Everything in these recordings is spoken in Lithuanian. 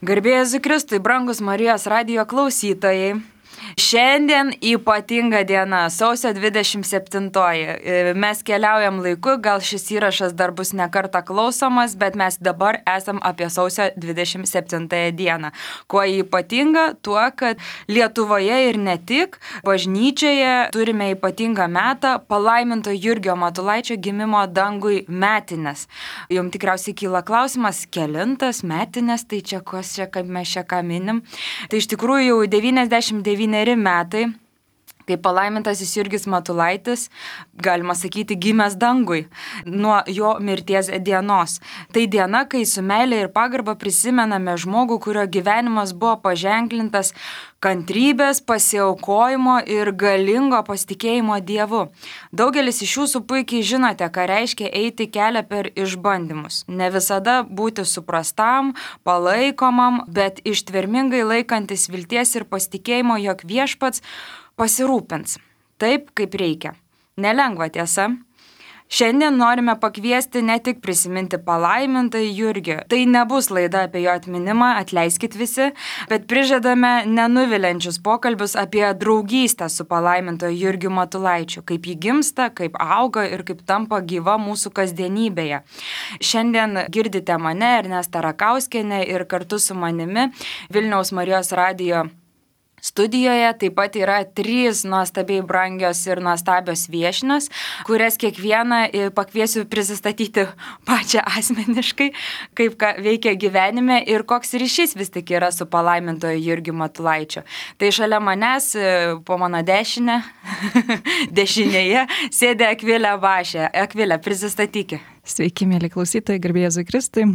Garbė Jėzui Kristui, brangus Marijos radijo klausytojai. Šiandien ypatinga diena, sausio 27. Mes keliaujam laiku, gal šis įrašas dar bus ne kartą klausomas, bet mes dabar esam apie sausio 27 dieną. Kuo ypatinga? Tuo, kad Lietuvoje ir ne tik, bažnyčioje turime ypatingą metą palaiminto Jurgio Matulaičio gimimo dangui metinės. Jums tikriausiai kyla klausimas, kelintas metinės, tai čia kas čia, kaip mes čia ką minim. Tai iš tikrųjų jau 99 metai, kai palaimintasis Jurgis Matulaitis, galima sakyti, gimęs dangui nuo jo mirties dienos. Tai diena, kai su meilė ir pagarba prisimename žmogų, kurio gyvenimas buvo paženklintas kantrybės, pasiaukojimo ir galingo pasitikėjimo Dievu. Daugelis iš jūsų puikiai žinote, ką reiškia eiti kelią per išbandymus. Ne visada būti suprastam, palaikomam, bet ištvermingai laikantis vilties ir pasitikėjimo, jog Viešpats pasirūpins taip, kaip reikia. Nelengva tiesa. Šiandien norime pakviesti ne tik prisiminti palaimintąjį Jurgį. Tai nebus laida apie jo atminimą, atleiskit visi, bet prižadame nenuviliančius pokalbius apie draugystę su palaimintoju Jurgiu Matulaičiu, kaip jį gimsta, kaip auga ir kaip tampa gyva mūsų kasdienybėje. Šiandien girdite mane, Ernestą Rakauskienę, ir kartu su manimi Vilniaus Marijos radijo studijoje taip pat yra 3 nuostabiai brangios ir nuostabios viešnios, kurias kiekvieną pakviesiu prisistatyti pačią asmeniškai, kaip ką veikia gyvenime ir koks ryšys vis tik yra su palaimintoju Jurgiu Matulaičiu. Tai šalia manęs, po mano dešinėje, sėdi Akvilė Bašė. Akvilė, prisistatykit. Sveiki, mėly klausytojai, garbė Jėzui Kristui.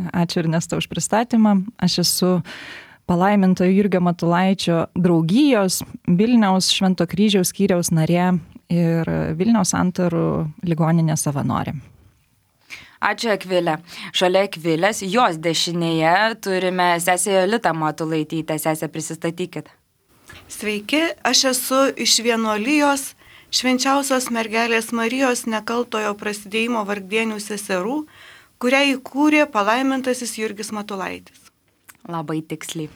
Ačiū Ernesta už pristatymą. Aš esu palaimintojo Jurgio Matulaičio draugijos Vilniaus Švento Kryžiaus skyriaus narė ir Vilniaus Santarų ligoninės savanorė. Ačiū Akvilė. Šalia Akvilės, jos dešinėje turime sesę Jolitą Matulaitytę. Sesę, prisistatykit. Sveiki, aš esu iš vienuolijos Švenčiausios mergelės Marijos nekaltojo prasidėjimo vargdienių seserų, kurią įkūrė palaimintasis Jurgis Matulaitis. Labai tiksliai.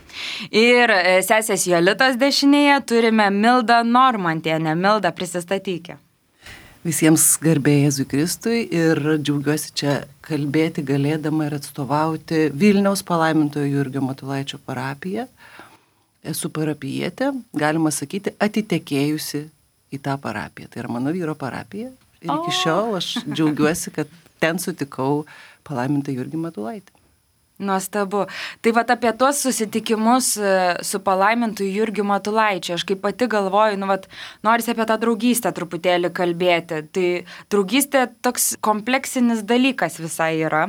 Ir sesės Jolitos dešinėje turime Mildą Normantienę. Milda, prisistatykė. Visiems garbė Jėzui Kristui ir džiaugiuosi čia kalbėti galėdama ir atstovauti Vilniaus palaimintojo Jurgio Matulaičio parapiją. Esu parapijietė, galima sakyti, atitekėjusi į tą parapiją. Tai yra mano vyro parapija. Ir iki šiol aš džiaugiuosi, kad ten sutikau palaimintą Jurgį Matulaitį. Nuostabu. Tai vat apie tuos susitikimus su palaimintu Jurgiu Matulaičiu. Aš kaip pati galvoju, norisi apie tą draugystę truputėlį kalbėti. Tai draugystė toks kompleksinis dalykas visai yra.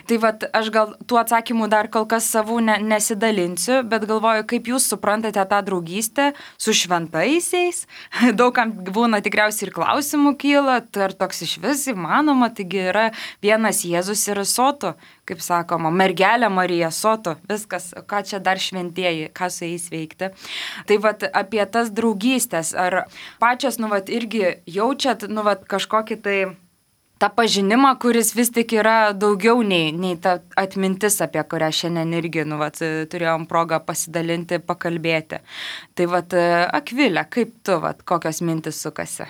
Tai vat aš gal tų atsakymų dar kol kas savų nesidalinsiu, bet galvoju, kaip jūs suprantate tą draugystę su šventaisiais. Daugam būna tikriausiai ir klausimų kyla, tai ar toks iš vis įmanoma, taigi yra vienas Jėzus ir sotu, kaip sakoma, mergelė Marija, sotu, viskas, ką čia dar šventieji, ką su jais veikti. Tai vat apie tas draugystės, ar pačios, irgi jaučiat, kažkokį tai tą pažinimą, kuris vis tik yra daugiau nei ta atmintis, apie kurią šiandien irgi, turėjom progą pasidalinti, pakalbėti. Tai vat, Akvilė, kaip tu, kokios mintis sukasi?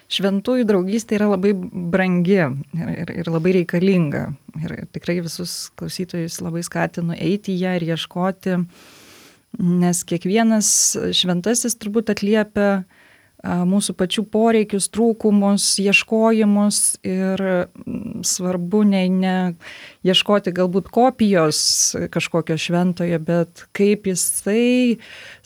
Šventųjų draugystė yra labai brangi ir labai reikalinga. Ir tikrai visus klausytojus labai skatinu eiti į ją ir ieškoti, nes kiekvienas šventasis turbūt atliepia mūsų pačių poreikius, trūkumus, ieškojimus ir svarbu ne ieškoti galbūt kopijos kažkokio šventojo, bet kaip jisai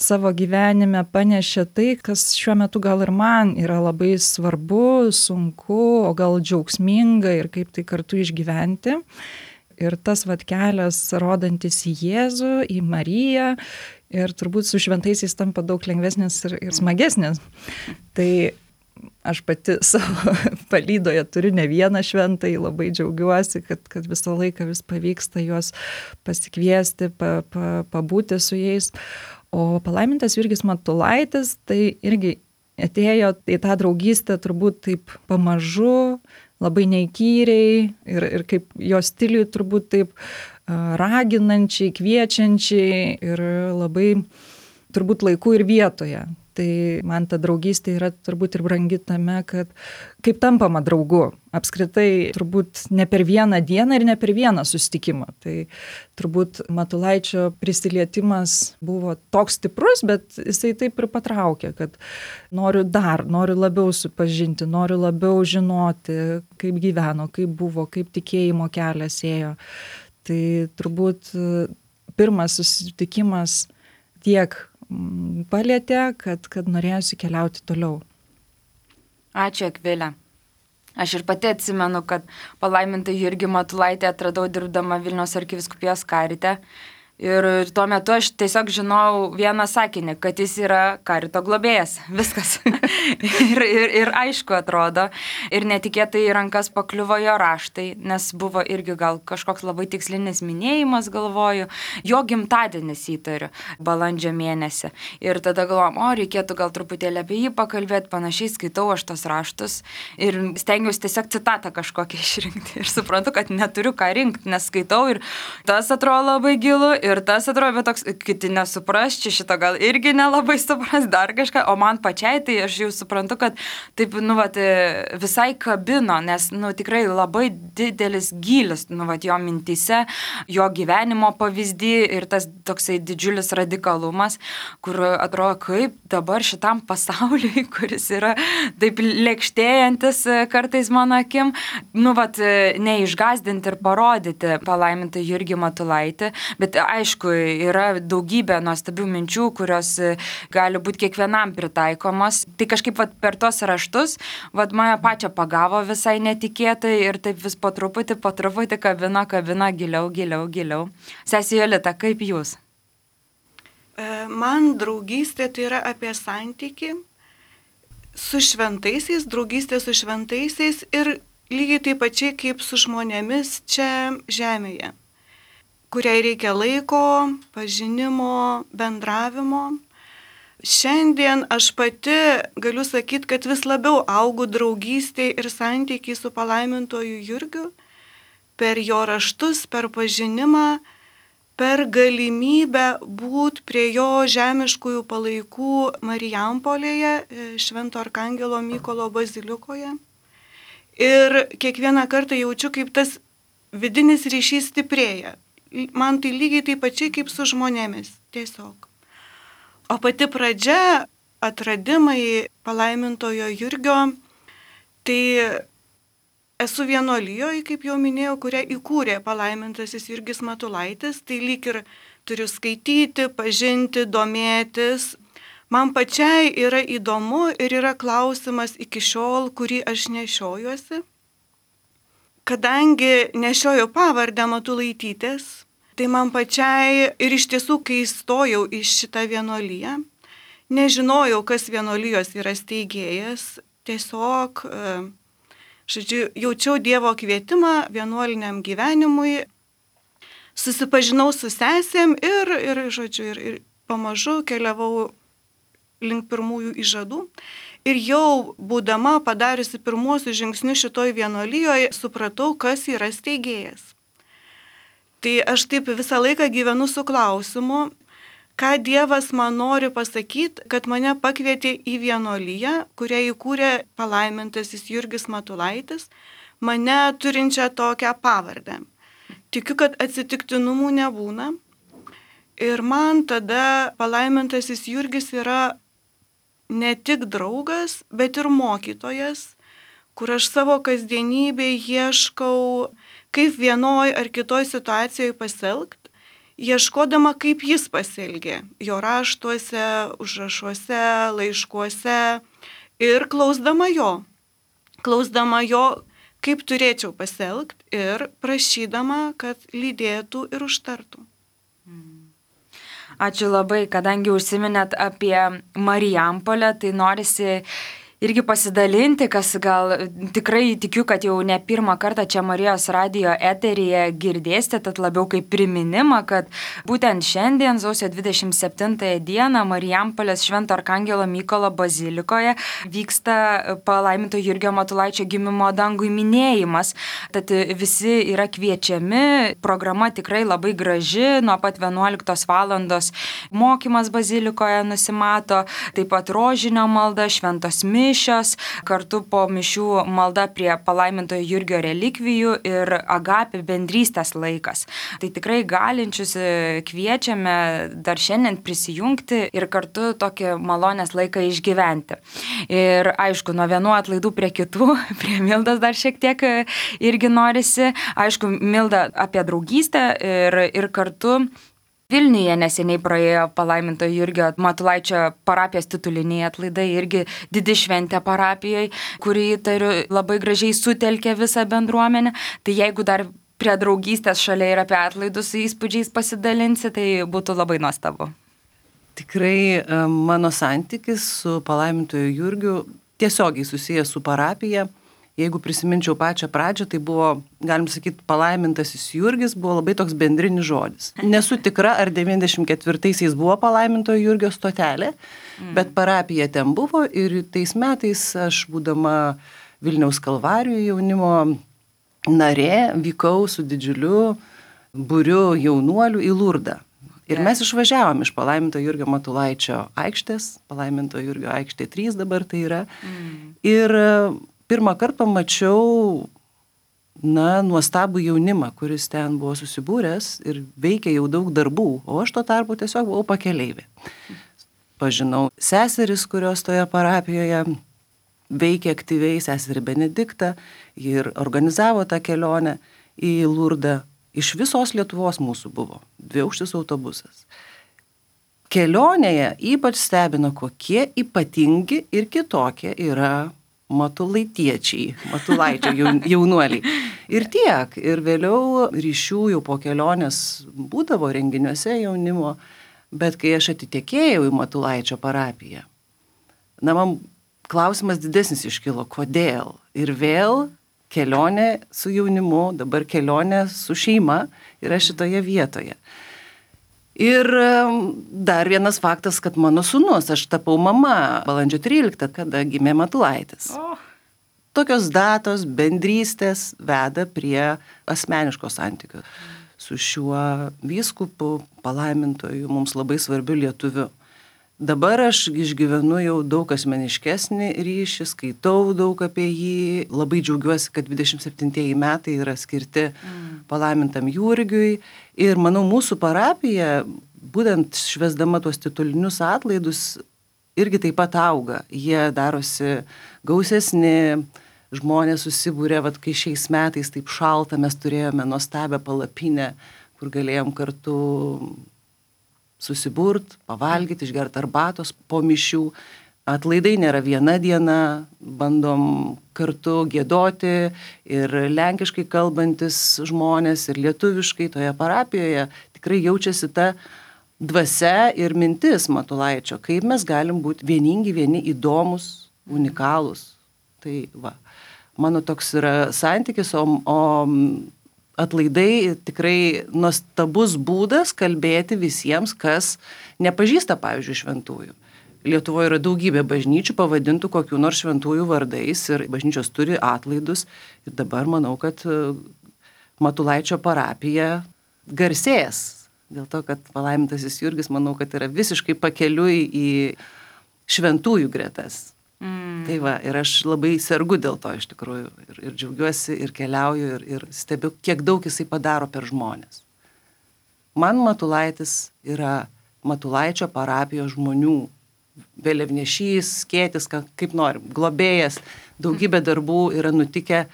savo gyvenime panešė tai, kas šiuo metu gal ir man yra labai svarbu, sunku, o gal džiaugsminga ir kaip tai kartu išgyventi. Ir tas kelias rodantis į Jėzų, į Mariją, ir turbūt su šventaisiais tampa daug lengvesnis ir smagesnis. Tai aš pati savo palydoje turiu ne vieną šventąjį, labai džiaugiuosi, kad visą laiką vis pavyksta juos pasikviesti, pabūti su jais. O palaimintas Jurgis Matulaitis tai irgi atėjo į tą draugystę turbūt taip pamažu, labai neįkyriai ir kaip jo stiliui turbūt taip raginančiai, kviečiančiai ir labai turbūt laiku ir vietoje. Tai man ta draugystė yra turbūt ir brangi tame, kad kaip tampama draugu. Apskritai turbūt ne per vieną dieną ir ne per vieną susitikimą. Tai turbūt Matulaičio prisilietimas buvo toks stiprus, bet jisai taip ir patraukė, kad noriu labiau supažinti, noriu labiau žinoti, kaip gyveno, kaip buvo, kaip tikėjimo kelias ėjo. Tai turbūt pirmas susitikimas tiek palietė, kad norėjusi keliauti toliau. Ačiū, Akvilė. Aš ir pati atsimenu, kad palaimintą Jurgį Matulaitį atradau dirbdama Vilniaus arkivyskupijos karite. Ir tuo metu aš tiesiog žinau vieną sakinį, kad jis yra karito globėjas. Viskas. ir aišku atrodo. Ir netikėtai į rankas pakliuvo jo raštai, nes buvo irgi gal kažkoks labai tikslinis minėjimas, galvoju. Jo gimtadienis įtariu, balandžio mėnesį. Ir tada galvojom, reikėtų gal truputėlį apie jį pakalbėti, panašiai skaitau aš tos raštus. Ir stengiausi tiesiog citatą kažkokią išrinkti. Ir suprantu, kad neturiu ką rinkti, nes skaitau ir tas atrodo labai gilu. Ir tas atrodo, bet toks, kiti nesupras, čia šito gal irgi nelabai supras, dar kažką, o man pačiai, tai aš jau suprantu, kad taip, visai kabino, nes, tikrai labai didelis gylis, jo mintyse, jo gyvenimo pavyzdį ir tas toksai didžiulis radikalumas, kur atrodo, kaip dabar šitam pasauliui, kuris yra taip lėkštėjantis kartais mano akim, neišgazdinti ir parodyti palaimintą Jurgį Matulaitį, bet aišku, yra daugybė nuostabių minčių, kurios gali būti kiekvienam pritaikomos. Tai kažkaip per tos raštus mane pačią pagavo visai netikėtai ir taip vis po truputį kabina giliau. Sesė Jolita, kaip jūs? Man draugystė tai yra apie santykį su šventaisiais, draugystė su šventaisiais ir lygiai taip pačiai kaip su žmonėmis čia žemėje, kuriai reikia laiko, pažinimo, bendravimo. Šiandien aš pati galiu sakyti, kad vis labiau augu draugystėje ir santykiai su palaimintuoju Jurgiu per jo raštus, per pažinimą, per galimybę būti prie jo žemiškųjų palaikų Marijampolėje, Švento Arkangelo Mykolo bazilikoje. Ir kiekvieną kartą jaučiu, kaip tas vidinis ryšys stiprėja. Man tai lygiai taip pačiai kaip su žmonėmis, tiesiog. O pati pradžia, atradimai palaimintojo Jurgio, tai esu vienuolijoje, kaip jau minėjau, kurią įkūrė palaimintasis Jurgis Matulaitis, tai lyg ir turiu skaityti, pažinti, domėtis. Man pačiai yra įdomu ir yra klausimas iki šiol, kurį aš nešiojuosi. Kadangi nešioju pavardę Matulaitytės, tai man pačiai ir iš tiesų, kai įstojau į šitą vienuoliją, nežinojau, kas vienuolijos yra steigėjas, tiesiog, jaučiau Dievo kvietimą vienuoliniam gyvenimui, susipažinau su sesėm ir pamažu keliavau link pirmųjų įžadų. Ir jau būdama padariusi pirmuosius žingsnius šitoj vienuolijoje, supratau, kas yra steigėjas. Tai aš taip visą laiką gyvenu su klausimu, ką Dievas man nori pasakyti, kad mane pakvietė į vienuoliją, kurią įkūrė palaimintasis Jurgis Matulaitis, mane turinčią tokią pavardę. Tikiu, kad atsitiktinumų nebūna. Ir man tada palaimintasis Jurgis yra ne tik draugas, bet ir mokytojas, kur aš savo kasdienybėje ieškau, kaip vienoj ar kitoj situacijoje pasielgti, ieškodama, kaip jis pasielgė, jo raštuose, užrašuose, laiškuose ir klausdama jo, kaip turėčiau pasielgti ir prašydama, kad lydėtų ir užtartų. Ačiū labai, kadangi užsiminėt apie Marijampolę, tai norisi irgi pasidalinti, kas gal tikrai tikiu, kad jau ne pirmą kartą čia Marijos radijo eteryje girdėsite, tad labiau kaip priminimą, kad būtent šiandien, sausio 27 dieną, Marijampolės Švento Arkangelo Mykolo bazilikoje vyksta palaiminto Jurgio Matulaičio gimimo dangui minėjimas. Tad visi yra kviečiami, programa tikrai labai graži, nuo pat 11 valandos mokymas bazilikoje nusimato, taip pat rožinio malda, šventos mišios, kartu po mišių malda prie palaimintojo Jurgio relikvijų ir agapė bendrystės laikas. Tai tikrai galinčius kviečiame dar šiandien prisijungti ir kartu tokį malonės laiką išgyventi. Ir aišku, nuo vienų atlaidų prie kitų, prie Mildos dar šiek tiek irgi norisi. Aišku, Milda apie draugystę ir kartu Vilniuje neseniai praėjo palaiminto Jurgio Matulaičio parapijos tituliniai atlaidai, irgi didi šventė parapijoje, kuri, įtariu, labai gražiai sutelkė visą bendruomenę. Tai jeigu dar prie draugystės šalia ir apie atlaidus įspūdžiais pasidalinsi, tai būtų labai nuostabu. Tikrai mano santykis su palaimintoju Jurgiu tiesiogiai susijęs su parapija. Jeigu prisiminčiau pačią pradžią, tai buvo, galim sakyti, palaimintasis Jurgis buvo labai toks bendrinis žodis. Nesu tikra, ar 94-aisiais buvo palaimintojo Jurgio stotelė, bet parapija ten buvo ir tais metais aš, būdama Vilniaus Kalvarijoje jaunimo narė, vykau su didžiuliu būriu jaunuolių į Lurdą. Ir mes išvažiavom iš palaiminto Jurgio Matulaičio aikštės, palaiminto Jurgio aikštė 3 dabar tai yra. Ir pirmą kartą pamačiau, nuostabų jaunimą, kuris ten buvo susibūręs ir veikė jau daug darbų, o aš tuo tarpu tiesiog buvau pakeleivė. Pažinau seseris, kurios toje parapijoje veikė aktyviai, seserį Benediktą, ir organizavo tą kelionę į Lurdą. Iš visos Lietuvos mūsų buvo 2-aukštis autobusas. Kelionėje ypač stebino, kokie ypatingi ir kitokie yra matulaitiečiai, Matulaičio jaunuoliai. Ir tiek. Ir vėliau ryšių jau po kelionės būdavo renginiuose jaunimo, bet kai aš atitekėjau į Matulaičio parapiją, man klausimas didesnis iškilo, kodėl. Ir vėl kelionė su jaunimu, dabar kelionė su šeima yra šitoje vietoje. Ir dar vienas faktas, kad mano sūnus, aš tapau mama balandžio 13, kada gimė Matulaitis. Tokios datos, bendrystės veda prie asmeniško santykio su šiuo vyskupu, palaimintoju, mums labai svarbiu lietuviu. Dabar aš išgyvenu jau daug asmeniškesnį ryšį, skaitau daug apie jį, labai džiaugiuosi, kad 27 metai yra skirti palaimintam Jurgiui ir manau mūsų parapija, būtent švęsdama tuos titulinius atlaidus, irgi taip pat auga. Jie darosi gausesni, žmonės susibūrė, kai šiais metais taip šalta, mes turėjome nuostabią palapinę, kur galėjom kartu susiburt, pavalgyti, išgerti arbatos po mišių. Atlaidai nėra viena diena, bandom kartu giedoti ir lenkiškai kalbantis žmonės ir lietuviškai toje parapijoje tikrai jaučiasi ta dvasia ir mintis Matulaičio, kaip mes galim būti vieningi, vieni įdomus, unikalūs. Tai mano toks yra santykis, o atlaidai tikrai nuostabus būdas kalbėti visiems, kas nepažįsta, pavyzdžiui, šventųjų. Lietuvoje yra daugybė bažnyčių pavadintų kokių nors šventųjų vardais ir bažnyčios turi atlaidus. Ir dabar manau, kad Matulaičio parapija garsės. Dėl to, kad palaimintasis Jurgis, manau, kad yra visiškai pakeliui į šventųjų gretas. Tai ir aš labai sergu dėl to iš tikrųjų ir džiaugiuosi ir keliauju ir stebiu, kiek daug jisai padaro per žmonės. Man Matulaitis yra Matulaičio parapijos žmonių vėliavnešys, skėtis, kaip norim, globėjas, daugybė darbų yra nutikę,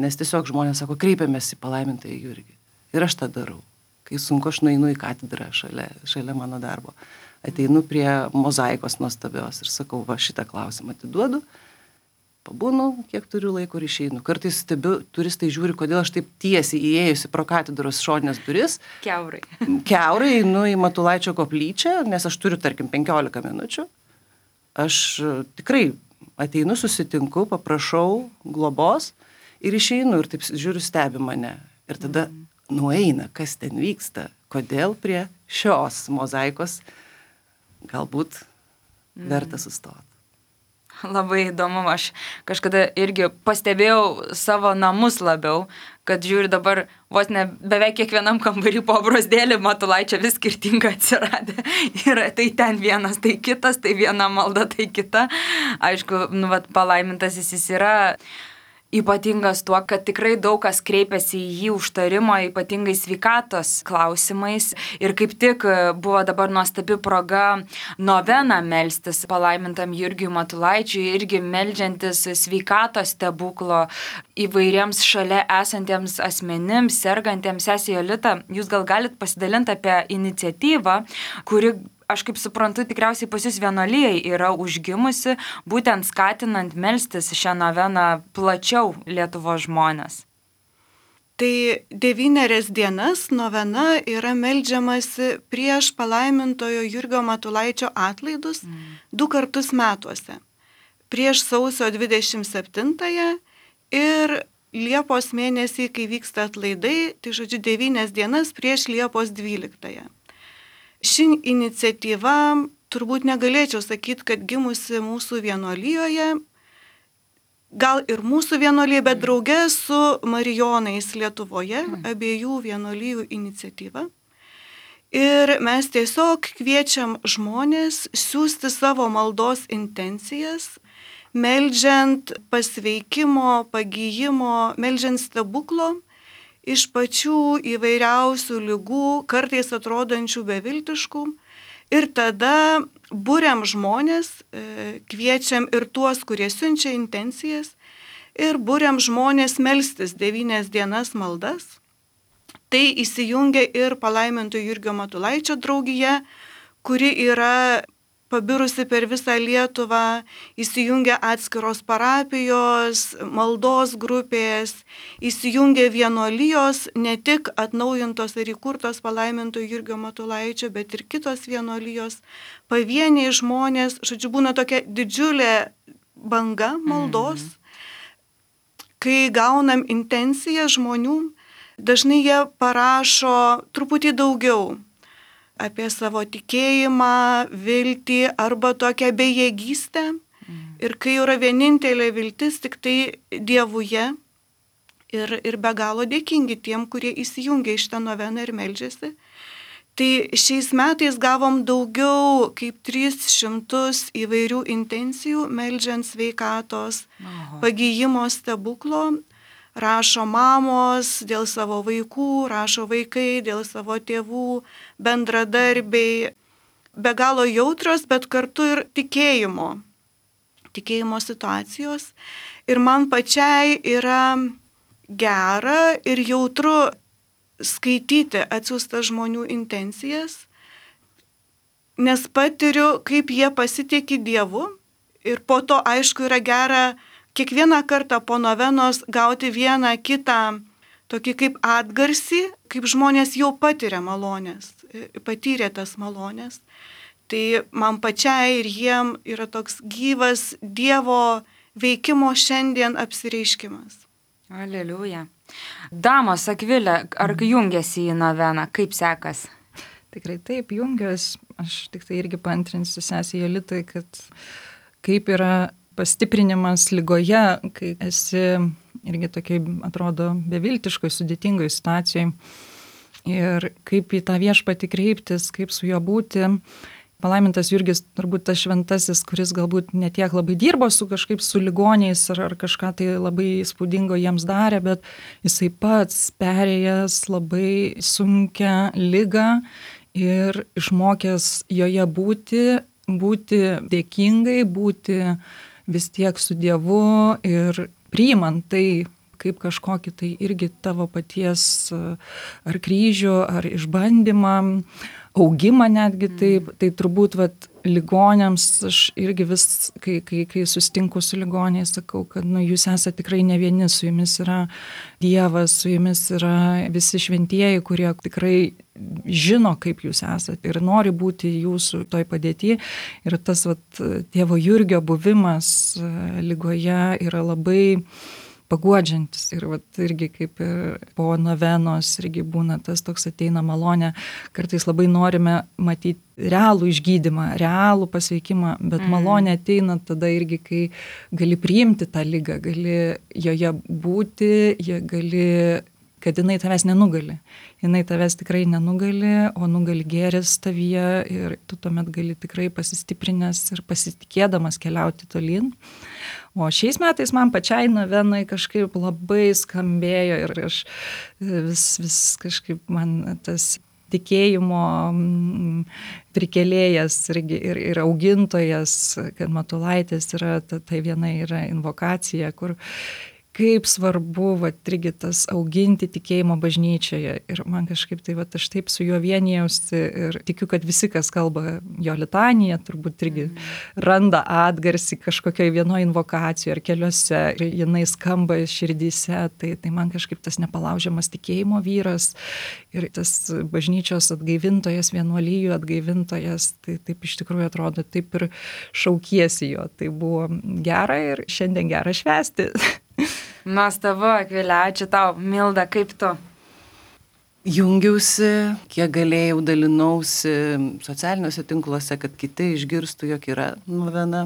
nes tiesiog žmonės sako, kreipiamės į palaimintąjį Jurgį. Ir aš tą darau. Kai sunku, aš nueinu į katedrą šalia mano darbo. Ateinu prie mozaikos nuostabios ir sakau, šitą klausimą atiduodu, pabūnu, kiek turiu laiko ir išeinu. Kartais stebiu, turistai žiūri, kodėl aš taip tiesiai įėjusi pro katedros šoninės duris. Kiaurai einu į Matulaičio koplyčią, nes aš turiu, tarkim, 15 minučių. Aš tikrai ateinu, susitinku, paprašau globos ir išeinu ir taip žiūriu, stebi mane. Ir tada nueina, kas ten vyksta, kodėl prie šios mozaikos galbūt verta sustoti. Labai įdomu, aš kažkada irgi pastebėjau savo namus labiau, kad žiūri dabar vos ne beveik kiekvienam kambarį po brazdėlį Matulaičio vis skirtinga atsiradę. Ir tai ten vienas, tai kitas, tai viena malda, tai kita. Aišku, palaimintas jis yra ypatingas tuo, kad tikrai daug kas kreipiasi į jį užtarimo, ypatingai sveikatos klausimais. Ir kaip tik buvo dabar nuostabi proga noveną melstis palaimintam Jurgiui Matulaičiui, irgi meldžiantis sveikatos stebuklo įvairiems šalia esantiems asmenims, sergantiems. Sesė Jolita, jūs gal galit pasidalinti apie iniciatyvą, kuri, aš kaip suprantu, tikriausiai pas jūs vienuolijai yra užgimusi, būtent skatinant melstis šią noveną plačiau Lietuvos žmonės. Tai 9 dienas novena yra meldžiamasi prieš palaimintojo Jurgio Matulaičio atlaidus 2 kartus metuose. Prieš sausio 27-ąją ir Liepos mėnesį, kai vyksta atlaidai, tai žodžiu 9 dienas prieš Liepos 12-ąją. Ši iniciatyva, turbūt negalėčiau sakyti, kad gimusi mūsų vienuolijoje, gal ir mūsų vienuolyje, bet drauge su Marijonais Lietuvoje, abiejų vienuolijų iniciatyva. Ir mes tiesiog kviečiam žmonės siųsti savo maldos intencijas, meldžiant pasveikimo, pagyjimo, meldžiant stebuklo, iš pačių įvairiausių ligų, kartais atrodančių beviltiškų. Ir tada buriam žmonės, kviečiam ir tuos, kurie siunčia intencijas, ir buriam žmonės melstis 9 dienas maldas. Tai įsijungia ir palaiminto Jurgio Matulaičio draugija, kuri yra pabirusi per visą Lietuvą, įsijungia atskiros parapijos, maldos grupės, įsijungia vienuolijos, ne tik atnaujintos ir įkurtos palaiminto Jurgio Matulaičio, bet ir kitos vienuolijos, pavieniai žmonės, žodžiu, būna tokia didžiulė banga maldos. Kai gaunam intenciją žmonių, dažnai jie parašo truputį daugiau apie savo tikėjimą, viltį arba tokią bejėgystę. Ir kai yra vienintelė viltis tik tai Dievuje ir be galo dėkingi tiem, kurie įsijungia į šitą noveną ir meldžiasi. Tai šiais metais gavom daugiau kaip 300 įvairių intencijų, meldžiant sveikatos, pagyjimo stebuklo. Rašo mamos dėl savo vaikų, rašo vaikai dėl savo tėvų, bendradarbiai, be galo jautrios, bet kartu ir tikėjimo situacijos. Ir man pačiai yra gera ir jautru skaityti atsiųstas žmonių intencijas, nes patiriu, kaip jie pasitikė Dievu. Ir po to, aišku, yra gera kiekvieną kartą po novenos gauti vieną kitą tokį kaip atgarsį, kaip žmonės jau patyrė malonės, patyrė tas malonės. Tai man pačiai ir jiem yra toks gyvas Dievo veikimo šiandien apsireiškimas. Aleliuja. Damos, Akvilė, ar jungiasi į noveną? Kaip sekas? Tikrai taip, jungiuos. Aš tik tai irgi paantrinsiu sesei Jolitai, kad kaip yra pastiprinimas ligoje, kai esi irgi tokiai, atrodo, beviltiškoj, sudėtingoj situacijoj. Ir kaip į tą viešpatį kreiptis, kaip su juo būti. Palaimintas Jurgis turbūt tas šventasis, kuris galbūt netiek labai dirbo kažkaip su ligoniais ar kažką tai labai įspūdingo jiems darė, bet jisai pats perėjęs labai sunkią ligą ir išmokęs joje būti dėkingai, būti vis tiek su Dievu ir priimant tai, kaip kažkokį tai irgi tavo paties ar kryžių, ar išbandymą, augimą netgi taip, tai turbūt ligoniams aš irgi vis, kai sustinku su ligoniais, sakau, kad jūs esate tikrai ne vieni, su jumis yra Dievas, su jumis yra visi šventieji, kurie tikrai žino, kaip jūs esate ir nori būti jūsų toj padėty. Ir tas tėvo Jurgio buvimas ligoje yra labai paguodžiantis. Ir irgi kaip ir po novenos irgi būna tas toks ateina malonė. Kartais labai norime matyti realų išgydymą, realų pasveikimą, bet malonė ateina tada irgi, kai gali priimti tą ligą, gali joje būti, kad jinai tavęs nenugali. Jinai tavęs tikrai nenugali, o nugali gėris tavyje ir tu tuomet gali tikrai pasistiprinęs ir pasitikėdamas keliauti tolyn. O šiais metais man pačiai novenai kažkaip labai skambėjo ir aš vis kažkaip man tas tikėjimo prikelėjas ir augintojas, kad Matulaitės yra, tai viena yra invokacija, kur kaip svarbu irgi tas auginti tikėjimo bažnyčioje. Ir man kažkaip tai aš taip su juo vienijausi ir tikiu, kad visi, kas kalba jo litaniją, turbūt irgi randa atgarsį kažkokioj vienoje invokacijoje ar keliose ir jinai skamba širdyse. Tai man kažkaip tas nepalaužiamas tikėjimo vyras ir tas bažnyčios atgaivintojas, vienuolijų atgaivintojas, tai taip iš tikrųjų atrodo, taip ir šaukiesi jo. Tai buvo gera ir šiandien gera švęsti. Nuostabu, Akvilė, ačiū tau. Milda, kaip tu? Jungiausi, kiek galėjau, dalinausi socialiniuose tinkluose, kad kiti išgirstų, jog yra novena.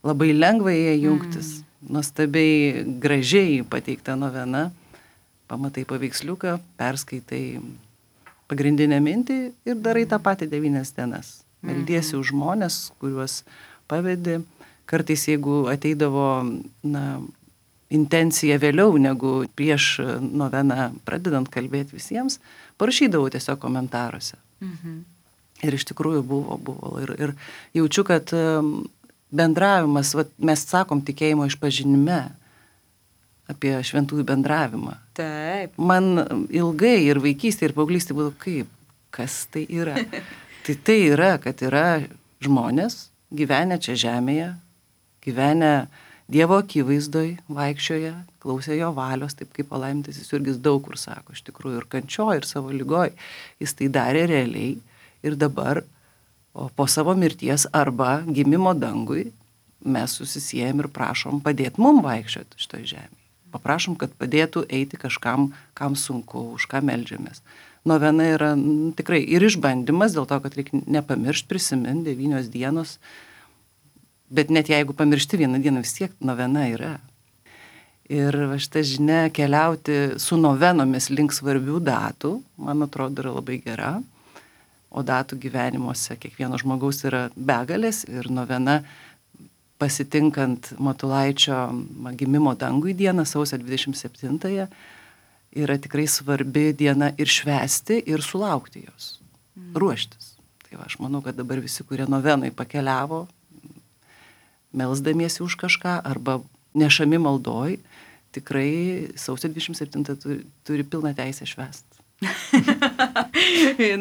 Labai lengva jie jungtis. Nuostabiai gražiai pateikta novena. Pamatai paveiksliuką, perskaitai pagrindinę mintį ir darai tą patį 9 dienas. Meldiesi už žmonės, kuriuos pavedi. Kartais, jeigu ateidavo, intencija vėliau negu prieš noveną pradedant kalbėti visiems, parašydavau tiesiog komentaruose. Ir iš tikrųjų buvo. Ir jaučiu, kad bendravimas, mes sakom tikėjimo išpažinime apie šventųjų bendravimą. Taip. Man ilgai ir vaikystė, ir paauglystė buvo kaip, kas tai yra. Tai yra, kad yra žmonės gyvenę čia žemėje, gyvenę Dievo akivaizdoj, vaikščioje, klausė jo valios, taip kaip palaimintasis Jurgis daug kur sako, iš tikrųjų ir kančioj, ir savo lygoj. Jis tai darė realiai ir dabar, po savo mirties arba gimimo dangui, mes susisiejam ir prašom padėti mum vaikščioti šitoj žemėje. Paprašom, kad padėtų eiti kažkam, kam sunku, už ką meldžiamės. Novena yra tikrai ir išbandymas, dėl to, kad reikia nepamiršti, prisiminti 9 dienos. Bet net jeigu pamiršti 1 dieną, vis tiek novena yra. Ir šitą žinia keliauti su novenomis link svarbių datų, man atrodo, yra labai gera. O datų gyvenimuose kiekvieno žmogaus yra begalės ir novena pasitinkant Matulaičio gimimo dangui dieną, sausio 27-ąją, yra tikrai svarbi diena ir švęsti, ir sulaukti jos, ruoštis. Tai aš manau, kad dabar visi, kurie novenui pakeliavo, melsdamiesi už kažką arba nešami maldoj, tikrai sausio 27 turi pilną teisę švęsti.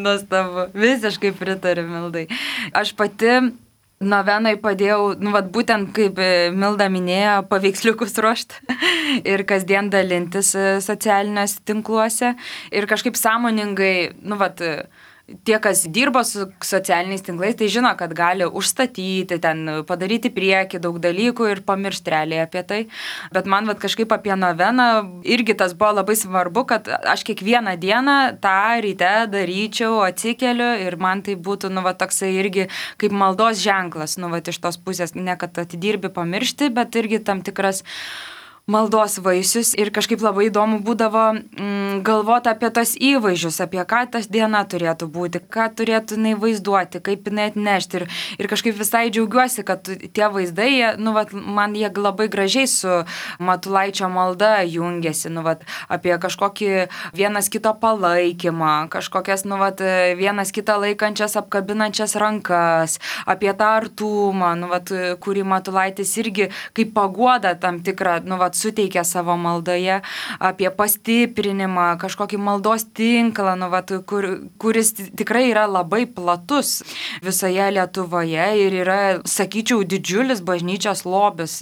Nuostabu, visiškai pritariu Mildai. Aš pati novenai padėjau, būtent kaip Milda minėjo, paveiksliukus ruošti ir kasdien dalintis socialiniuose tinkluose ir kažkaip sąmoningai, tie, kas dirbo su socialiniais tinklais, tai žino, kad gali užstatyti, ten padaryti priekį daug dalykų ir pamiršti realiai apie tai. Bet man kažkaip apie noveną irgi tas buvo labai svarbu, kad aš kiekvieną dieną tą ryte daryčiau, atsikeliu ir man tai būtų, toksai irgi kaip maldos ženklas, iš tos pusės, ne kad atidirbi pamiršti, bet irgi tam tikras maldos vaisius ir kažkaip labai įdomu būdavo galvoti apie tos įvaizdžius, apie ką tas diena turėtų būti, ką turėtų jinai vaizduoti, kaip jinai atnešti. Ir kažkaip visai džiaugiuosi, kad tie vaizdai, man jie labai gražiai su Matulaičio malda jungiasi, apie kažkokį vienas kito palaikymą, kažkokias, vienas kitą laikančias, apkabinančias rankas, apie tą artumą, kurį Matulaitis irgi kaip paguoda tam tikrą, suteikia savo maldoje, apie pastiprinimą, kažkokį maldos tinklą, kuris tikrai yra labai platus visoje Lietuvoje ir yra, sakyčiau, didžiulis bažnyčios lobis.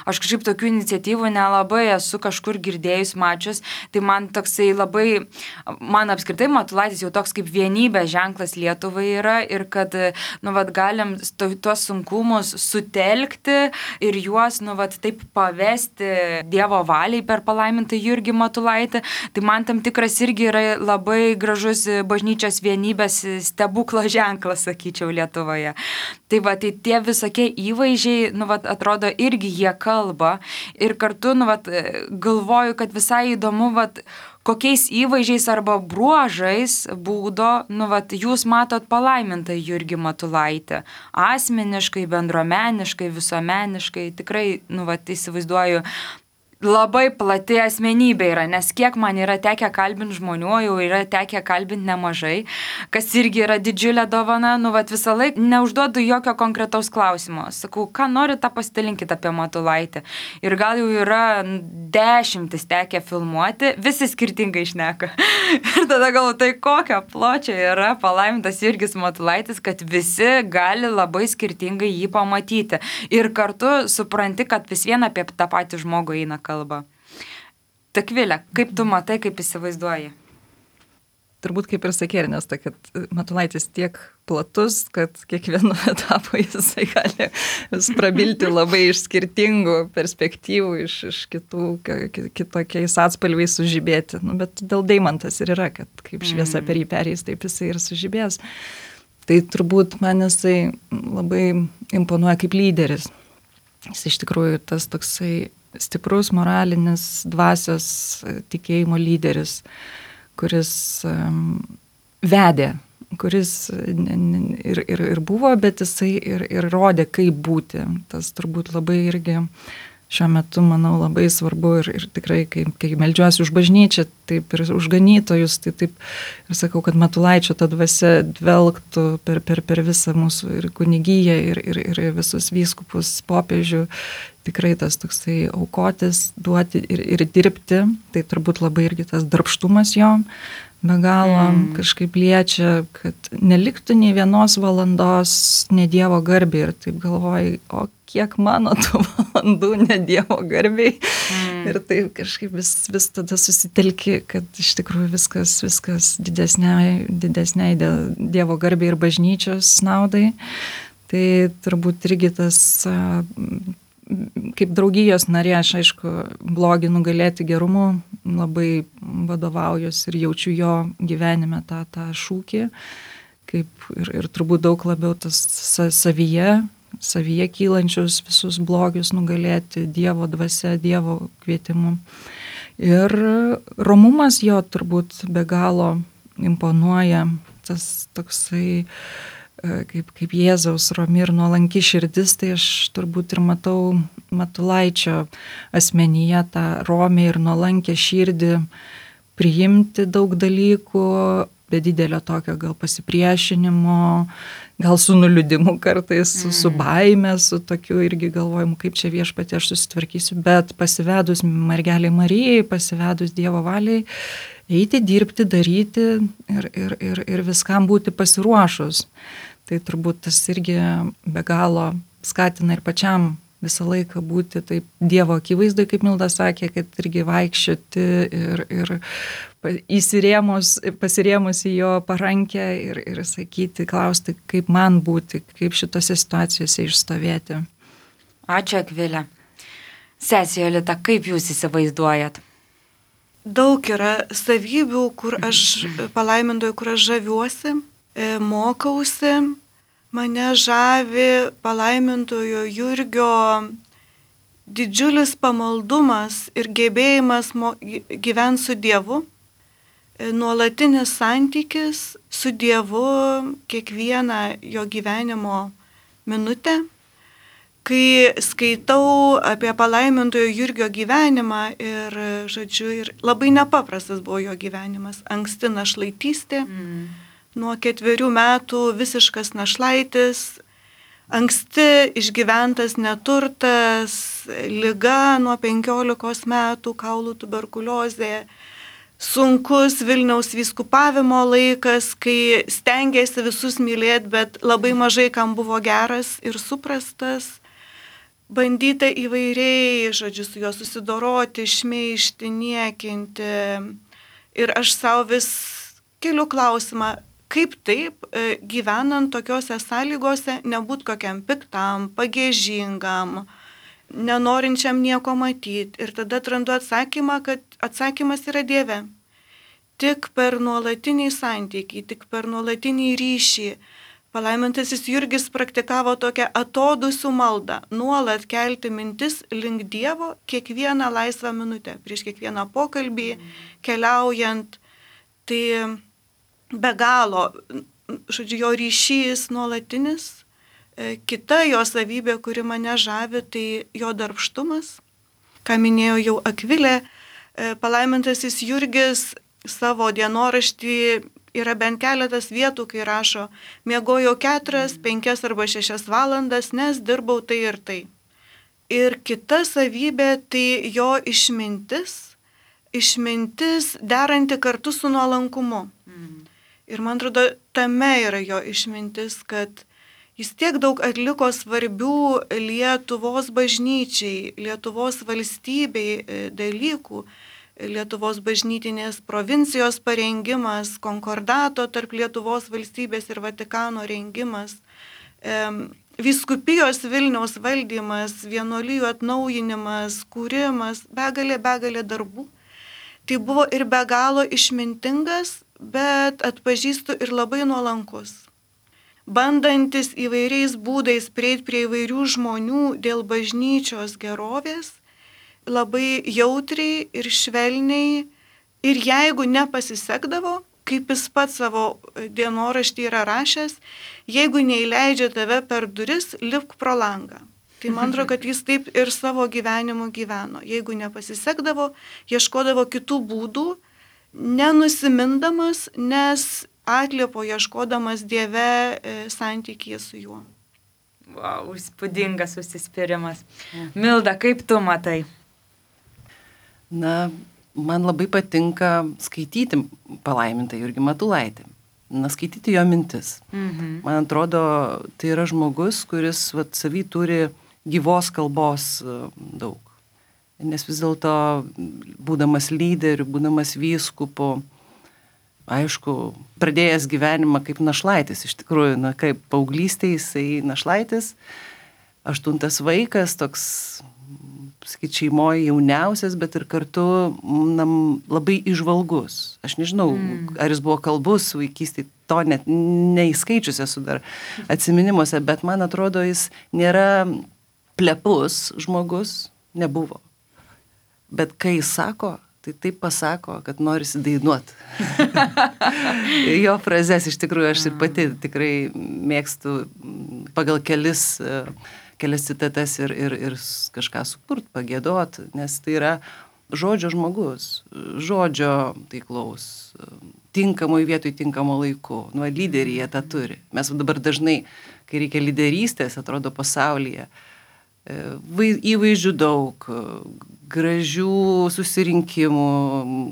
Aš kažkaip tokių iniciatyvų nelabai esu kažkur girdėjus, mačius, tai man toksai labai, man apskritai Matulaitis jau toks kaip vienybės ženklas Lietuvai yra ir kad, galim tuos sunkumus sutelkti ir juos, taip pavesti Dievo valiai per palaimintą Jurgį Matulaitį, tai man tam tikras irgi yra labai gražus bažnyčios vienybės stebuklo ženklas, sakyčiau, Lietuvoje. Tai tai tie visokie įvaizdžiai, atrodo, irgi jie kalba ir kartu, galvoju, kad visai įdomu, kokiais įvaizdžiais arba bruožais būdo, jūs matot palaimintą Jurgį Matulaitį. Asmeniškai, bendruomeniškai, visuomeniškai, tikrai, įsivaizduoju, labai plati asmenybė yra, nes kiek man yra tekę kalbinti žmonių, jau yra tekę kalbinti nemažai, kas irgi yra didžiulė dovana, visą laiką neužduodu jokio konkretaus klausimo. Sakau, ką nori, tą pasidalinkit apie Matulaitį. Ir gal jau yra 10 tekę filmuoti, visi skirtingai šneka. Ir tada galvoju, tai kokio pločio yra palaimintas Jurgis Matulaitis, kad visi gali labai skirtingai jį pamatyti. Ir kartu supranti, kad vis vien apie tą patį žmogų eina kalba. Akvilė, kaip tu matai, kaip įsivaizduoji? Turbūt kaip ir sakė Ernesta, kad Matulaitis tiek platus, kad kiekvienu etapu jisai gali prabilti labai iš skirtingų perspektyvų, iš kitokiais atspalviais sužibėti. Bet dėl deimantas ir yra, kad kaip šviesa per jį perės, taip jisai ir sužibės. Tai turbūt man jisai labai imponuoja kaip lyderis. Jis iš tikrųjų tas toksai stiprus moralinis dvasios tikėjimo lyderis, kuris vedė, kuris ir buvo, bet jisai ir rodė, kaip būti. Tas turbūt labai irgi šiuo metu, manau, labai svarbu ir tikrai, kai meldžiuosi už bažnyčią, taip ir už ganytojus, tai taip ir sakau, kad Matulaičio ta dvasia dvelgtų per visą mūsų ir kunigiją, ir visus vyskupus, popiežių. Tikrai tas toksai aukotis, duoti ir dirbti, tai turbūt labai irgi tas darbštumas jo be galo kažkaip liečia, kad neliktų nei vienos valandos ne Dievo garbei ir taip galvoju, o kiek mano tų valandų ne Dievo garbei. Ir taip kažkaip vis tada susitelki, kad iš tikrųjų viskas didesniai Dievo garbei ir bažnyčios naudai. Tai turbūt irgi tas kaip draugijos narė, aš aišku, blogį nugalėti gerumu, labai vadovaujuosi ir jaučiu jo gyvenime tą šūkį, kaip ir turbūt daug labiau tas savyje kylančius visus blogius nugalėti Dievo dvasia, Dievo kvietimu. Ir romumas jo turbūt be galo imponuoja, tas toksai kaip Jėzaus romi ir nuolanki širdis, tai aš turbūt ir matau Matulaičio asmenyje tą romę ir nuolankę širdį priimti daug dalykų, be didelio tokio gal pasipriešinimo, gal su nuliūdimu kartais, su baime, su tokiu irgi galvojimu, kaip čia viešpatie aš susitvarkysiu, bet pasivedus mergelei Marijai, pasivedus Dievo valiai, eiti, dirbti, daryti ir viskam būti pasiruošus. Tai turbūt tas irgi be galo skatina ir pačiam visą laiką būti taip Dievo akivaizdoj, kaip Milda sakė, kad irgi vaikščioti ir pasirėmus į jo parankę ir sakyti, klausti, kaip man būti, kaip šitose situacijose išstovėti. Ačiū, Akvilė. Sesė Jolita, kaip jūs įsivaizduojat? Daug yra savybių, kur aš palaimintoju, kur aš žaviuosi, mokausi, mane žavi palaimintojo Jurgio didžiulis pamaldumas ir gebėjimas gyventi su Dievu, nuolatinis santykis su Dievu kiekvieną jo gyvenimo minutę. Kai skaitau apie palaimintojo Jurgio gyvenimą ir, ir labai nepaprastas buvo jo gyvenimas, anksti našlaitystė, nuo 4 metų visiškas našlaitis, anksti išgyventas neturtas, liga nuo 15 metų, kaulų tuberkuliozė, sunkus Vilniaus vyskupavimo laikas, kai stengėsi visus mylėti, bet labai mažai kam buvo geras ir suprastas. Bandyta įvairiai, žodžiu, su juo susidoroti, šmeižti, niekinti. Ir aš savo vis keliu klausimą, kaip taip, gyvenant tokiuose sąlygose, nebūt kokiam piktam, pagiežingam, nenorinčiam nieko matyti. Ir tada atrandu atsakymą, kad atsakymas yra Dieve. Tik per nuolatinį santykį, tik per nuolatinį ryšį. Palaimintasis Jurgis praktikavo tokią atodusių maldą, nuolat kelti mintis link Dievo kiekvieną laisvą minutę, prieš kiekvieną pokalbį, keliaujant. Tai be galo, žodžiu, jo ryšys nuolatinis. Kita jo savybė, kuri mane žavi, tai jo darbštumas. Ką minėjo jau Akvilė, palaimintasis Jurgis savo dienoraštį yra bent keletas vietų, kai rašo, miegojau 4, 5 arba 6 valandas, nes dirbau tai ir tai. Ir kita savybė tai jo išmintis deranti kartu su nuolankumu. Ir man atrodo, tame yra jo išmintis, kad jis tiek daug atliko svarbių Lietuvos bažnyčiai, Lietuvos valstybei dalykų, Lietuvos bažnytinės provincijos parengimas, konkordato tarp Lietuvos valstybės ir Vatikano rengimas, vyskupijos Vilniaus valdymas, vienuolijų atnaujinimas, kūrimas, begalė darbų. Tai buvo ir be galo išmintingas, bet atpažįstu ir labai nuolankus. Bandantis įvairiais būdais prieiti prie įvairių žmonių dėl bažnyčios gerovės, labai jautriai ir švelniai, ir jeigu nepasisekdavo, kaip jis pats savo dienoraštį yra rašęs, jeigu neįleidžia tave per duris, lipk pro langą. Tai man atrodo, kad jis taip ir savo gyvenimu gyveno. Jeigu nepasisekdavo, ieškodavo kitų būdų, nenusimindamas, nes atliepo ieškodamas Dieve santykyje su juo. Wow, įspūdingas užsispyrimas. Milda, kaip tu matai? Na, man labai patinka skaityti palaimintą Jurgį Matulaitį. Skaityti jo mintis. Man atrodo, tai yra žmogus, kuris savy turi gyvos kalbos daug. Nes vis dėlto, būdamas lyderiu, būdamas vyskupu, aišku, pradėjęs gyvenimą kaip našlaitis, iš tikrųjų, kaip paauglystėje jisai našlaitis, 8 vaikas, toks, sakyt, šeimoje jauniausias, bet ir kartu labai įžvalgus. Aš nežinau, ar jis buvo kalbus vaikystėje, to net neįskaičius esu dar atsiminimuose, bet man atrodo, jis nėra plepus žmogus, nebuvo. Bet kai jis sako, tai taip pasako, kad norisi dainuot. Jo frazes iš tikrųjų aš ir pati tikrai mėgstu pagal kelias citatas ir kažką sukurt, pagėdot, nes tai yra žodžio žmogus, žodžio taiklaus, tinkamoj vietoj, tinkamo laiku. Lyderiai jie tą turi. Mes dabar dažnai, kai reikia lyderystės, atrodo pasaulyje, įvaizdžių daug, gražių susirinkimų,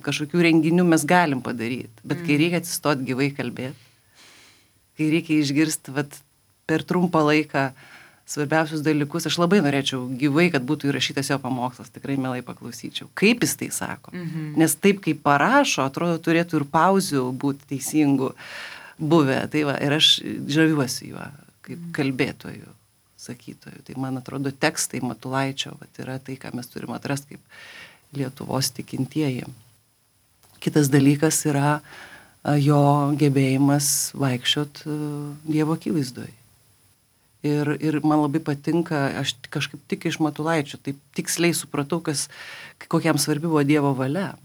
kažkokių renginių mes galim padaryti, bet kai reikia atsistoti gyvai kalbėti, kai reikia išgirsti per trumpą laiką svarbiausius dalykus, aš labai norėčiau gyvai, kad būtų įrašytas jo pamokslas, tikrai mielai paklausyčiau. Kaip jis tai sako? Nes taip, kaip parašo, atrodo, turėtų ir pauzių būti teisingų buvę. Tai va, ir aš žaviuosi juo, kaip kalbėtojų, sakytojų. Tai man atrodo, tekstai Matulaičio yra tai, ką mes turime atrasti kaip Lietuvos tikintieji. Kitas dalykas yra jo gebėjimas vaikščiot Dievo akivaizdoje. Ir man labai patinka, aš kažkaip tik iš Matulaičio, taip tiksliai supratau, kokiam svarbi buvo Dievo valia.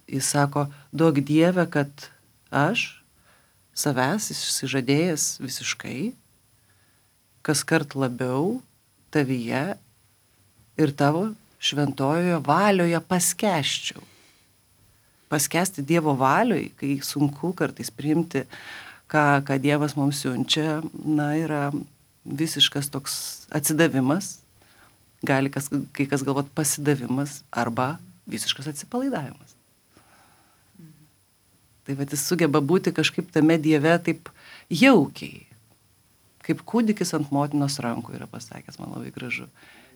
Jis sako, duok Dieve, kad aš savęs išsižadėjęs visiškai, kas kart labiau tavyje ir tavo šventojoje valioje paskęsčiau. Paskęsti Dievo valioj, kai sunku kartais priimti, ką Dievas mums siunčia, yra visiškas toks atsidavimas, gali kai kas galvot pasidavimas arba visiškas atsipalaidavimas. Tai vat jis sugeba būti kažkaip tame Dieve taip jaukiai, kaip kūdikis ant motinos rankų yra pasakęs, man labai gražu.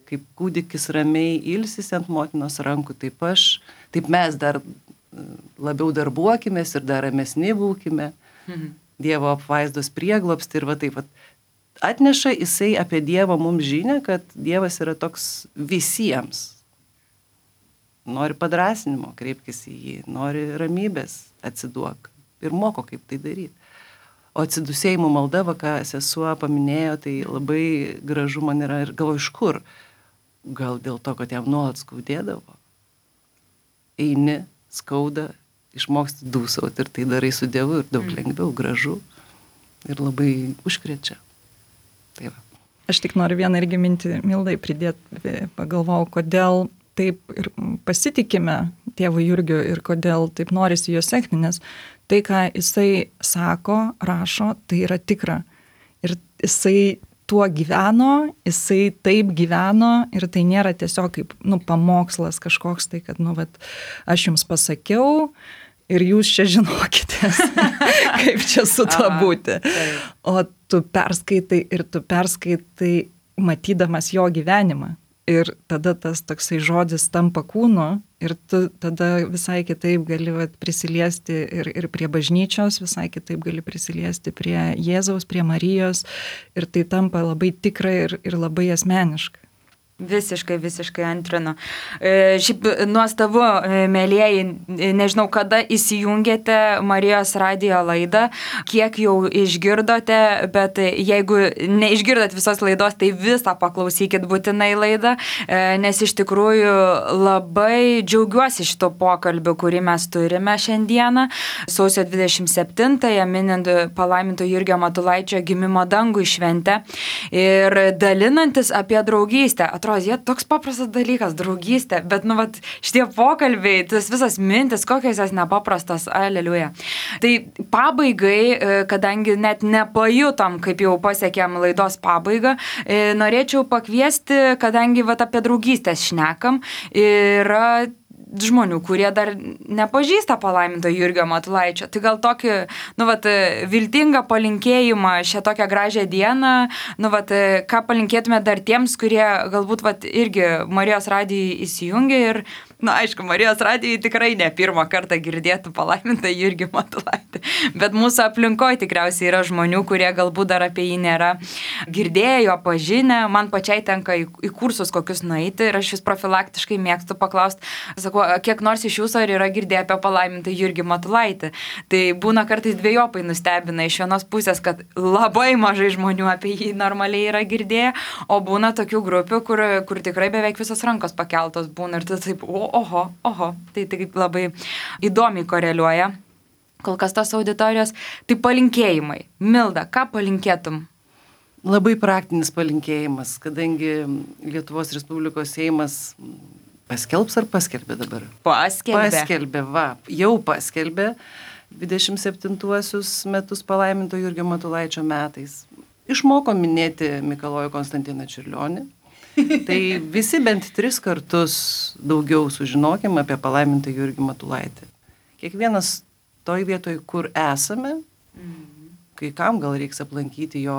Kaip kūdikis ramiai ilsisi ant motinos rankų, taip mes dar labiau darbuokimės ir dar ramesni būkime. Dievo apvaizdos prieglobsti ir va taip pat atneša jisai apie Dievą mums žinią, kad Dievas yra toks visiems. Nori padrasinimo, kreipkis į jį, nori ramybės, atsiduok ir moko, kaip tai daryti. O atsidusėjimo malda, ką sesuo paminėjo, tai labai gražu man yra ir galvoju, iš kur. Gal dėl to, kad jam nuolat skaudėdavo. Eini, skauda, išmoksti dūsauti ir tai darai su Dievu ir daug lengviau, gražu ir labai užkrečia. Tai va. Aš tik noriu vieną irgi mintį Mildai pridėti, pagalvojau, kodėl taip ir pasitikime tėvu Jurgiu ir kodėl taip norisi jo sekti, nes tai, ką jisai sako, rašo, tai yra tikra. Ir jisai tuo gyveno, jisai taip gyveno ir tai nėra tiesiog kaip, pamokslas kažkoks, tai kad, aš jums pasakiau ir jūs čia žinokitės, kaip čia su tuo būti. O tu perskaitai matydamas jo gyvenimą. Ir tada tas toksai žodis tampa kūnu ir tu tada visai kitaip gali prisiliesti ir prie bažnyčios, visai kitaip gali prisiliesti prie Jėzaus, prie Marijos ir tai tampa labai tikra ir labai asmeniška. Visiškai antrinu. Šiaip nuostabu, mėlieji, nežinau, kada įsijungėte Marijos radijo laidą, kiek jau išgirdote, bet jeigu neišgirdot visos laidos, tai visą paklausykit būtinai laidą, nes iš tikrųjų labai džiaugiuosi šito pokalbiu, kurį mes turime šiandieną, sausio 27-ąją minint palaiminto Jurgio Matulaičio gimimo dangui šventę ir dalinantis apie draugystę. Jie toks paprastas dalykas, draugystė, bet šitie pokalbiai, tas visas mintis, kokios jas nepaprastas, aleliuja. Tai pabaigai, kadangi net nepajutom, kaip jau pasiekėm laidos pabaigą, norėčiau pakviesti, kadangi apie draugystės šnekam, yra žmonių, kurie dar nepažįsta palaiminto Jurgio Matulaičio. Tai gal tokį, viltingą palinkėjimą šią tokią gražią dieną, ką palinkėtume dar tiems, kurie galbūt irgi Marijos radijai įsijungia ir, aišku, Marijos radijai tikrai ne pirmą kartą girdėtų palaimintą Jurgį Matulaitį, bet mūsų aplinkoje tikriausiai yra žmonių, kurie galbūt dar apie jį nėra girdėjo, pažinę. Man pačiai tenka į kursus kokius nueiti ir aš vis profilaktiškai mėgstu paklausti, sakau, kiek nors iš jūsų ar yra girdėję apie palaimintą Jurgį Matulaitį. Tai būna kartais dvejopai nustebina iš vienos pusės, kad labai mažai žmonių apie jį normaliai yra girdėję, o būna tokių grupių, kur tikrai beveik visos rankos pakeltos būna ir tai taip, oho, tai labai įdomiai koreliuoja kol kas tos auditorijos. Tai palinkėjimai. Milda, ką palinkėtum? Labai praktinis palinkėjimas, kadangi Lietuvos Respublikos Seimas paskelbs ar paskelbė dabar? Paskelbė, jau paskelbė 27-uosius metus palaiminto Jurgio Matulaičio metais. Išmoko minėti Mikalojų Konstantiną Čiurlionį. Tai visi bent 3 kartus daugiau sužinokim apie palaimintą Jurgį Matulaitį. Kiekvienas toj vietoj, kur esame, kai kam gal reiks aplankyti jo,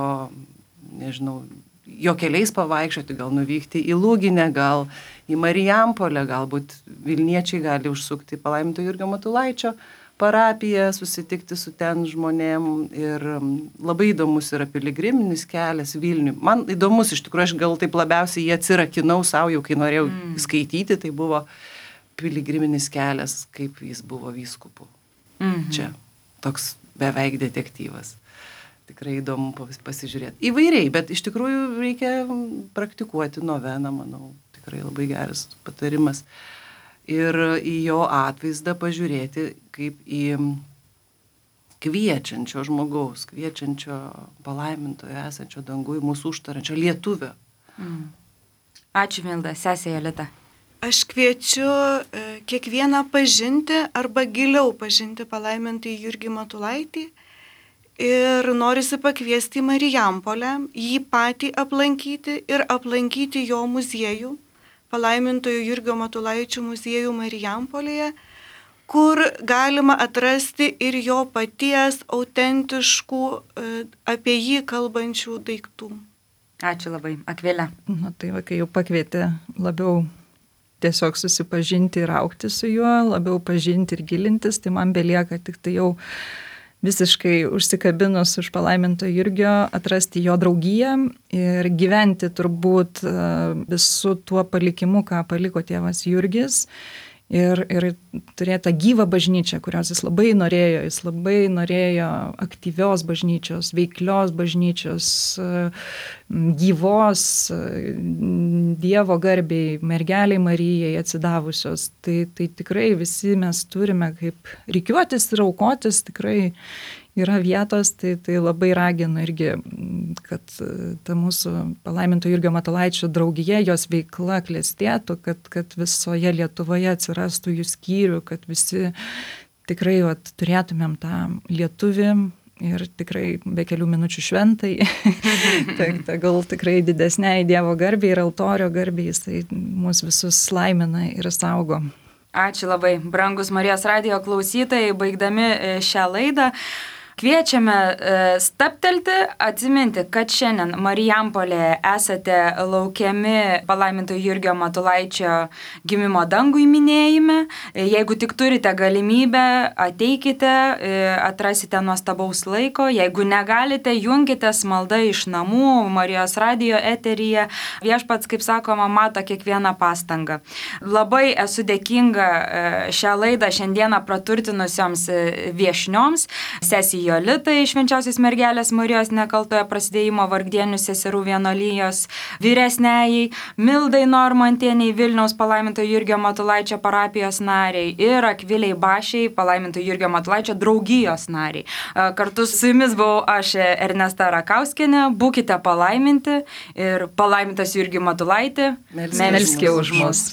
nežinau, jo keliais pavaikščioti, gal nuvykti į Lūginę, gal į Marijampolę, galbūt Vilniečiai gali užsukti palaiminto Jurgio Matulaičio parapiją, susitikti su ten žmonėm ir labai įdomus yra piligriminis kelias Vilniui. Man įdomus, iš tikrųjų, aš gal taip labiausiai jį atsirakinau savo, jau kai norėjau skaityti, tai buvo piligriminis kelias, kaip jis buvo vyskupu. Čia toks beveik detektyvas. Tikrai įdomu pasižiūrėti. Įvairiai, bet iš tikrųjų reikia praktikuoti noveną, manau. Tikrai labai geras patarimas. Ir į jo atvaizdą pažiūrėti kaip į kviečiančio žmogaus, kviečiančio palaimintojo esančio dangui, mūsų užtarančio lietuvio. Ačiū, Milda. Sesė Jolita. Aš kviečiu kiekvieną pažinti arba giliau pažinti palaimintąjį Jurgį Matulaitį Ir norisi pakviesti į Marijampolę, jį patį aplankyti ir aplankyti jo muziejų, palaimintojo Jurgio Matulaičio muziejų Marijampolėje, kur galima atrasti ir jo paties autentiškų, apie jį kalbančių daiktų. Ačiū labai, Akvilė. Na tai va, kai jau pakvietė labiau tiesiog susipažinti ir augti su juo, labiau pažinti ir gilintis, tai man belieka tik tai jau visiškai užsikabinus už palaiminto Jurgio, atrasti jo draugiją ir gyventi turbūt visų tuo palikimu, ką paliko tėvas Jurgis. Ir turėjo tą gyvą bažnyčią, kurios jis labai norėjo aktyvios bažnyčios, veiklios bažnyčios, gyvos, Dievo garbiai, mergeliai Marijai atsidavusios. Tai tikrai visi mes turime kaip rikiuotis ir aukotis, tikrai yra vietos, tai labai raginu irgi, kad ta mūsų palaiminto Jurgio Matulaičio draugija, jos veikla klestėtų, kad visoje Lietuvoje atsirastų jų skyrių, kad visi tikrai turėtumėm tą lietuvį ir tikrai be kelių minučių šventai, tai gal tikrai didesniai Dievo garbiai ir altorio garbiai, jisai mus visus laimina ir saugo. Ačiū labai, brangus Marijos radijo klausytojai, baigdami šią laidą. Kviečiame stabtelti, atsiminti, kad šiandien Marijampolėje esate laukiami palaiminto Jurgio Matulaičio gimimo dangui minėjime. Jeigu tik turite galimybę, ateikite, atrasite nuostabaus laiko. Jeigu negalite, junkitės malda iš namų, Marijos radijo eteryje. Viešpats, kaip sakoma, mato kiekvieną pastangą. Labai esu dėkinga šią laidą šiandieną praturtinusioms viešnioms, sesijai Jolitai, Švenčiausios mergelės Marijos nekaltojo prasidėjimo vargdienių seserų vienuolijos vyresniajai, Mildai Normantienei, Vilniaus palaiminto Jurgio Matulaičio parapijos nariai ir Akviliai Bašiai, palaiminto Jurgio Matulaičio draugijos nariai. Kartu su jumis buvau aš, Ernesta Rakauskienė. Būkite palaiminti ir palaimintas Jurgį Matulaitį. Melskė už mus.